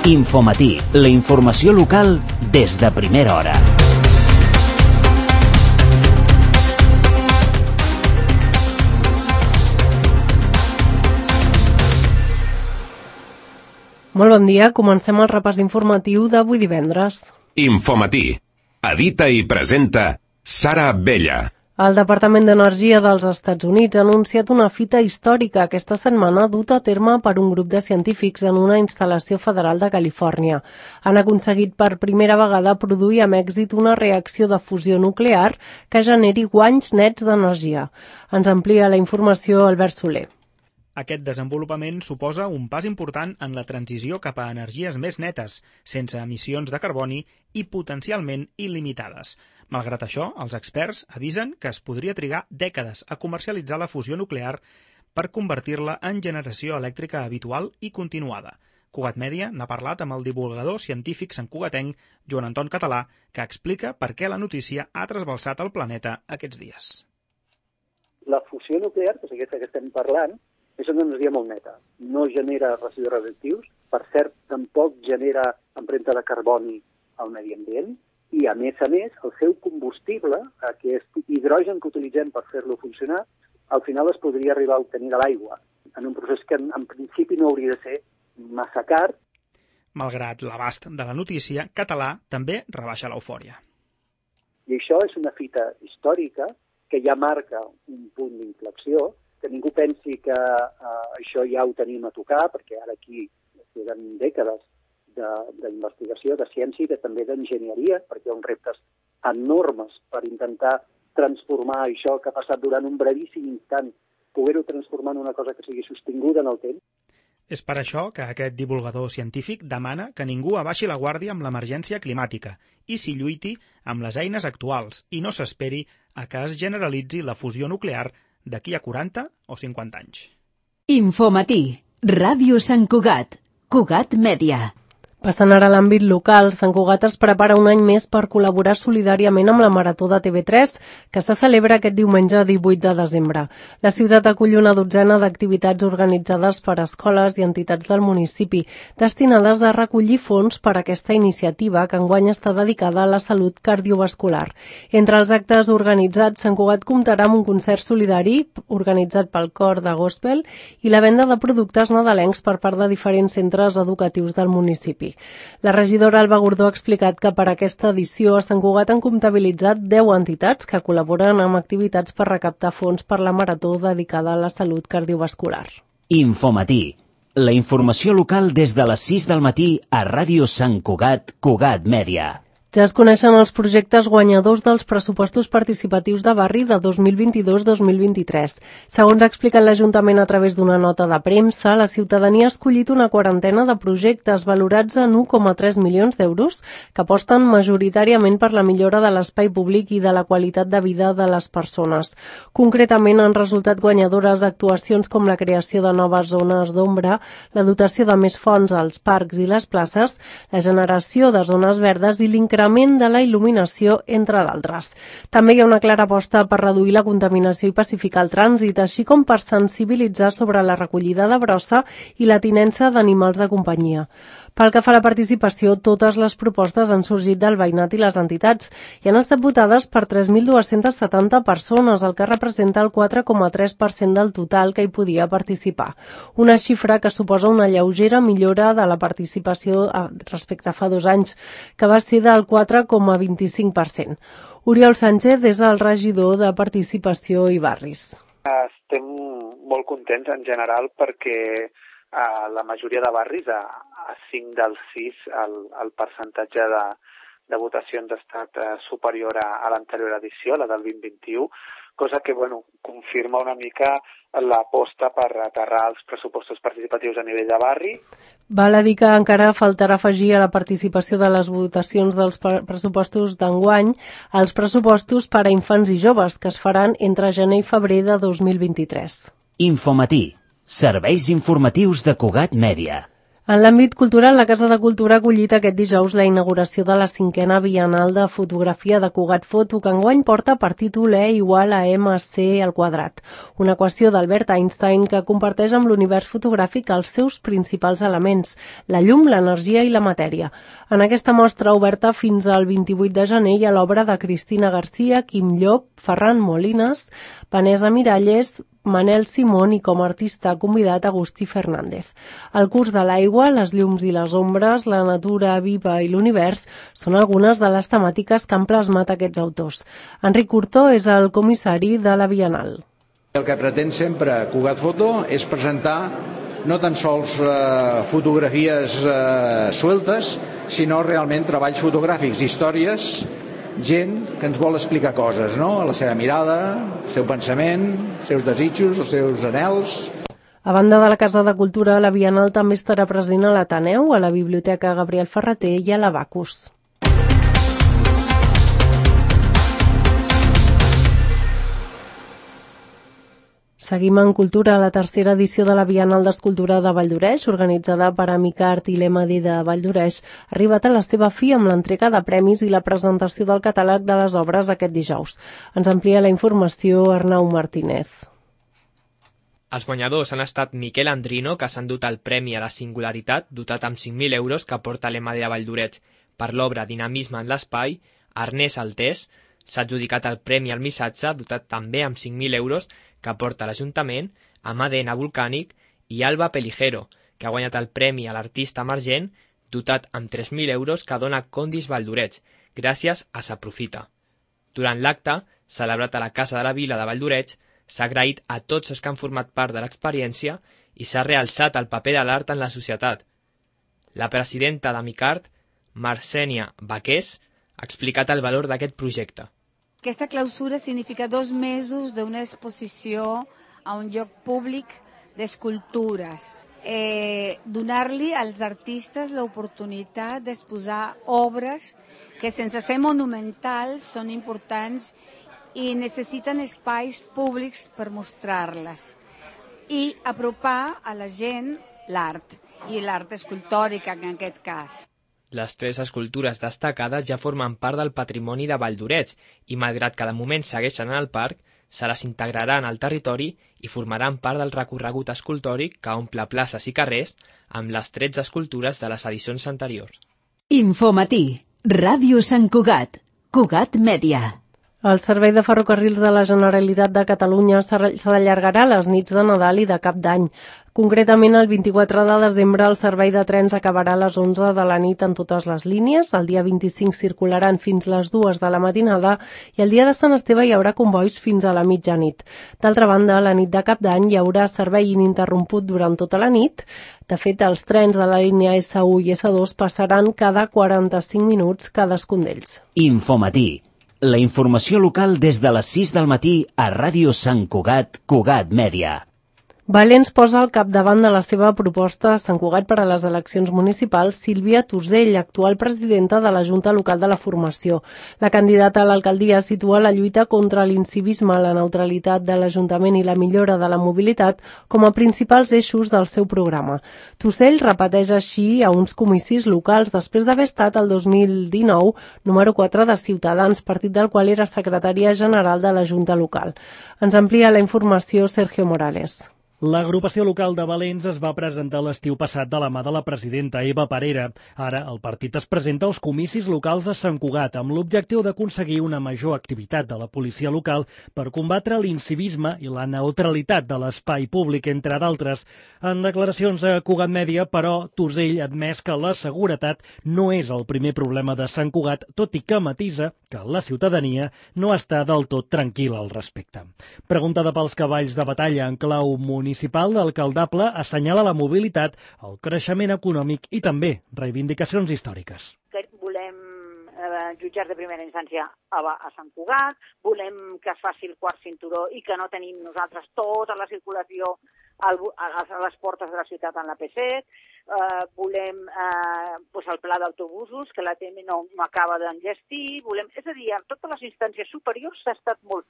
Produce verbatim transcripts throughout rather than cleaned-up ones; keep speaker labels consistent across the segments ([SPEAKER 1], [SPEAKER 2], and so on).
[SPEAKER 1] Infomatí, la informació local des de primera hora.
[SPEAKER 2] Molt bon dia, comencem el repàs informatiu d'avui divendres.
[SPEAKER 3] Infomatí. Edita i presenta Sara Abella.
[SPEAKER 2] El Departament d'Energia dels Estats Units ha anunciat una fita històrica aquesta setmana duta a terme per un grup de científics en una instal·lació federal de Califòrnia. Han aconseguit per primera vegada produir amb èxit una reacció de fusió nuclear que generi guanys nets d'energia. Ens amplia la informació Albert Soler.
[SPEAKER 4] Aquest desenvolupament suposa un pas important en la transició cap a energies més netes, sense emissions de carboni i potencialment il·limitades. Malgrat això, els experts avisen que es podria trigar dècades a comercialitzar la fusió nuclear per convertir-la en generació elèctrica habitual i continuada. Cugat Mèdia n'ha parlat amb el divulgador científic santcugatenc Joan Anton Català, que explica per què la notícia ha trasbalsat el planeta aquests dies.
[SPEAKER 5] La fusió nuclear, que és aquesta que estem parlant, és una energia molt neta. No genera residus radioactius, per cert, tampoc genera empremta de carboni al medi ambient, i a més a més, el seu combustible, aquest hidrogen que utilitzem per fer-lo funcionar, al final es podria arribar a obtenir de l'aigua, en un procés que en, en principi no hauria de ser massa car.
[SPEAKER 4] Malgrat l'abast de la notícia, Català també rebaixa l'eufòria.
[SPEAKER 5] I això és una fita històrica que ja marca un punt d'inflexió, que ningú pensi que eh, això ja ho tenim a tocar, perquè ara aquí queden dècades d'investigació, de, de ciència i de, també d'enginyeria, perquè hi ha uns reptes enormes per intentar transformar això que ha passat durant un brevíssim instant, poder-ho transformar en una cosa que sigui sostinguda en el temps.
[SPEAKER 4] És per això que aquest divulgador científic demana que ningú abaixi la guàrdia amb l'emergència climàtica i s'hi lluiti amb les eines actuals i no s'esperi a que es generalitzi la fusió nuclear d'aquí a quaranta o cinquanta anys.
[SPEAKER 6] Infomatí, Ràdio Sant Cugat, Cugat Mèdia.
[SPEAKER 2] Passant ara a l'àmbit local, Sant Cugat es prepara un any més per col·laborar solidàriament amb la Marató de T V tres, que se celebra aquest diumenge divuit de desembre. La ciutat acull una dotzena d'activitats organitzades per escoles i entitats del municipi, destinades a recollir fons per a aquesta iniciativa, que enguany està dedicada a la salut cardiovascular. Entre els actes organitzats, Sant Cugat comptarà amb un concert solidari organitzat pel cor de gospel i la venda de productes nadalencs per part de diferents centres educatius del municipi. La regidora Alba Gordó ha explicat que per aquesta edició a Sant Cugat han comptabilitzat deu entitats que col·laboren amb activitats per recaptar fons per la marató dedicada a la salut cardiovascular.
[SPEAKER 1] Infomatí, la informació local des de les sis del matí a Ràdio Sant Cugat, Cugat Mèdia.
[SPEAKER 2] Ja es coneixen els projectes guanyadors dels pressupostos participatius de barri de dos mil vint-i-dos dos mil vint-i-tres. Segons ha explicat l'Ajuntament a través d'una nota de premsa, la ciutadania ha escollit una quarantena de projectes valorats en un coma tres milions d'euros que aposten majoritàriament per la millora de l'espai públic i de la qualitat de vida de les persones. Concretament han resultat guanyadores actuacions com la creació de noves zones d'ombra, la dotació de més fonts als parcs i les places, la generació de zones verdes i l'increment de la il·luminació, entre d'altres. També hi ha una clara aposta per reduir la contaminació i pacificar el trànsit, així com per sensibilitzar sobre la recollida de brossa i la tinença d'animals de companyia. Pel que fa a la participació, totes les propostes han sorgit del veïnat i les entitats i han estat votades per tres mil dues-centes setanta persones, el que representa el quatre coma tres per cent del total que hi podia participar. Una xifra que suposa una lleugera millora de la participació respecte a fa dos anys, que va ser del quatre coma vint-i-cinc per cent. Oriol Sánchez és el regidor de Participació i Barris.
[SPEAKER 7] Estem molt contents en general perquè a la majoria de barris, a, a cinc dels sis, el, el percentatge de, de votacions ha estat eh, superior a, a l'anterior edició, la del vint vint-i-u, cosa que bueno, confirma una mica l'aposta per aterrar els pressupostos participatius a nivell de barri.
[SPEAKER 2] Val a dir que encara faltarà afegir a la participació de les votacions dels pressupostos d'enguany els pressupostos per a infants i joves, que es faran entre gener i febrer de dos mil vint-i-tres.
[SPEAKER 1] Infomatí, serveis informatius de Cugat Mèdia.
[SPEAKER 2] En l'àmbit cultural, la Casa de Cultura ha acollit aquest dijous la inauguració de la cinquena Bienal de Fotografia de Cugat Foto, que enguany porta per títol E igual a M C al quadrat, una equació d'Albert Einstein que comparteix amb l'univers fotogràfic els seus principals elements, la llum, l'energia i la matèria. En aquesta mostra oberta fins al vint-i-vuit de gener hi ha l'obra de Cristina Garcia, Quim Llop, Ferran Molines, Vanessa Miralles, Manel Simón i com a artista convidat Agustí Fernández. El curs de l'aigua, les llums i les ombres, la natura viva i l'univers són algunes de les temàtiques que han plasmat aquests autors. Enric Curtó és el comissari de la Bienal.
[SPEAKER 8] El que pretén sempre Cugat Foto és presentar no tan sols eh, fotografies eh, sueltes, sinó realment treballs fotogràfics, històries, gent que ens vol explicar coses, no? La seva mirada, el seu pensament, els seus desitjos, els seus anhels.
[SPEAKER 2] A banda de la Casa de Cultura, la Bienal també estarà present a l'Ateneu, a la Biblioteca Gabriel Ferrater i a l'Abacus. Seguim en cultura. La tercera edició de la Bienal d'Escultura de Valldoreix, organitzada per Amicart i l'E M D de Valldoreix, ha arribat a la seva fi amb l'entrega de premis i la presentació del catàleg de les obres aquest dijous. Ens amplia la informació Arnau Martínez.
[SPEAKER 9] Els guanyadors han estat Miquel Andrino, que s'ha endut el Premi a la Singularitat, dotat amb cinc mil euros que porta l'E M D de Valldoreix per l'obra Dinamisme en l'espai. Ernest Altés s'ha adjudicat el Premi al Missatge, dotat també amb cinc mil euros que porta l'Ajuntament, amb A D N Volcànic, i Alba Peligero, que ha guanyat el Premi a l'Artista Emergent, dotat amb tres mil euros que dona Condis Valldoreix, gràcies a S'Aprofita. Durant l'acte, celebrat a la Casa de la Vila de Valldoreix, s'ha agraït a tots els que han format part de l'experiència i s'ha realçat el paper de l'art en la societat. La presidenta d'Amicart, Marcènia Baqués, ha explicat el valor d'aquest projecte.
[SPEAKER 10] Aquesta clausura significa dos mesos d'una exposició a un lloc públic d'escultures. Eh, donar-li als artistes l'oportunitat d'exposar obres que sense ser monumentals són importants i necessiten espais públics per mostrar-les. I apropar a la gent l'art, i l'art escultòrica en aquest cas.
[SPEAKER 9] Les tres escultures destacades ja formen part del patrimoni de Valldoreix i, malgrat que de moment segueixen en el parc, se les integraran al territori i formaran part del recorregut escultòric que omple places i carrers amb les tretze escultures de les edicions anteriors.
[SPEAKER 6] Infomatí, Ràdio Sant Cugat, Cugat Mèdia.
[SPEAKER 2] El Servei de Ferrocarrils de la Generalitat de Catalunya s'allargarà les nits de Nadal i de Cap d'Any. Concretament, el vint-i-quatre de desembre el servei de trens acabarà a les onze de la nit en totes les línies, el dia vint-i-cinc circularan fins les dues de la matinada i el dia de Sant Esteve hi haurà convois fins a la mitjanit. D'altra banda, la nit de Cap d'Any hi haurà servei ininterromput durant tota la nit. De fet, els trens de la línia essa u i essa dos passaran cada quaranta-cinc minuts cadascun d'ells.
[SPEAKER 1] Infomatí. La informació local des de les sis del matí a Ràdio Sant Cugat, Cugat Mèdia.
[SPEAKER 2] Valens posa al capdavant de la seva proposta a Sant Cugat per a les eleccions municipals Sílvia Tusell, actual presidenta de la Junta Local de la Formació. La candidata a l'alcaldia situa la lluita contra l'incivisme, la neutralitat de l'Ajuntament i la millora de la mobilitat com a principals eixos del seu programa. Tusell repeteix així a uns comicis locals després d'haver estat el dos mil dinou número quatre de Ciutadans, partit del qual era secretària general de la Junta Local. Ens amplia la informació Sergio Morales.
[SPEAKER 11] L'agrupació local de Valens es va presentar l'estiu passat de la mà de la presidenta Eva Parera. Ara el partit es presenta als comicis locals a Sant Cugat amb l'objectiu d'aconseguir una major activitat de la policia local per combatre l'incivisme i la neutralitat de l'espai públic, entre d'altres. En declaracions a Cugat Mèdia, però, Tusell ha admès que la seguretat no és el primer problema de Sant Cugat, tot i que matisa que la ciutadania no està del tot tranquil·la al respecte. Preguntada pels cavalls de batalla en clau municipal, municipal l'alcaldable assenyala la mobilitat, el creixement econòmic i també reivindicacions històriques.
[SPEAKER 12] Volem eh, jutjats de primera instància a, a Sant Cugat, volem que es faci el quart cinturó i que no tenim nosaltres tota la circulació al, a, a les portes de la ciutat en la P set, eh, volem eh, pues el pla d'autobusos, que la T M no, no acaba d'enllestir, volem, és a dir, en totes les instàncies superiors s'ha estat molt,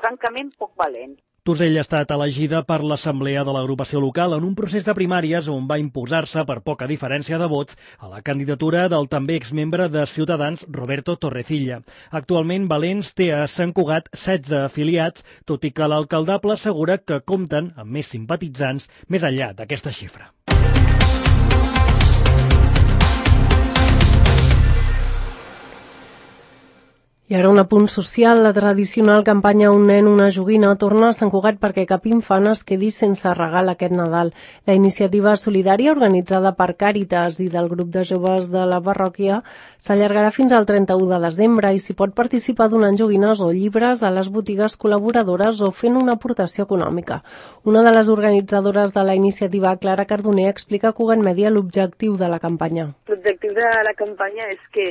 [SPEAKER 12] francament, poc valent.
[SPEAKER 11] Tusell ha estat elegida per l'Assemblea de l'agrupació local en un procés de primàries on va imposar-se per poca diferència de vots a la candidatura del també exmembre de Ciutadans, Roberto Torrecilla. Actualment, Valens té a Sant Cugat setze afiliats, tot i que l'alcaldable assegura que compten amb més simpatitzants més enllà d'aquesta xifra.
[SPEAKER 2] I ara un apunt social. La tradicional campanya Un nen, una joguina torna a Sant Cugat perquè cap infant es quedi sense regal aquest Nadal. La iniciativa solidària organitzada per Càritas i del grup de joves de la parròquia s'allargarà fins al trenta-u de desembre i s'hi pot participar donant joguines o llibres a les botigues col·laboradores o fent una aportació econòmica. Una de les organitzadores de la iniciativa, Clara Cardoner, explica a Cugat Mèdia l'objectiu de la campanya.
[SPEAKER 13] L'objectiu de la campanya és que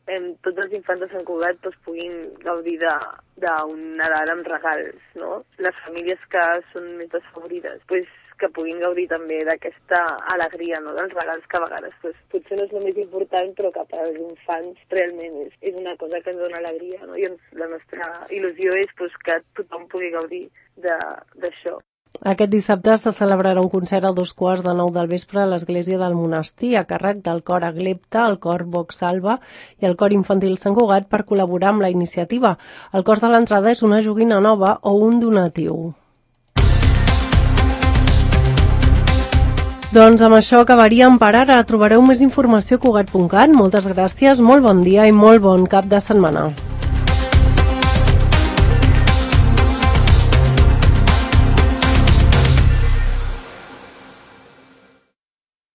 [SPEAKER 13] Eh, tots els infants de Sant Cugat doncs, puguin gaudir d'un Nadal amb regals, no? Les famílies que són més desfavorides, pues, que puguin gaudir també d'aquesta alegria, no? Dels regals que a vegades pues, potser no és el més important, però que per als infants realment és, és una cosa que ens dona alegria, no? I ens, la nostra il·lusió és pues, que tothom pugui gaudir d'això.
[SPEAKER 2] Aquest dissabte se celebrarà un concert a dos quarts de nou del vespre a l'església del monestir a càrrec del cor Aglepta, el cor Vox Salva i el cor infantil Sant Cugat per col·laborar amb la iniciativa. El cost de l'entrada és una joguina nova o un donatiu. Doncs amb això acabaríem per ara. Trobareu més informació a cugat punt cat. Moltes gràcies, molt bon dia i molt bon cap de setmana.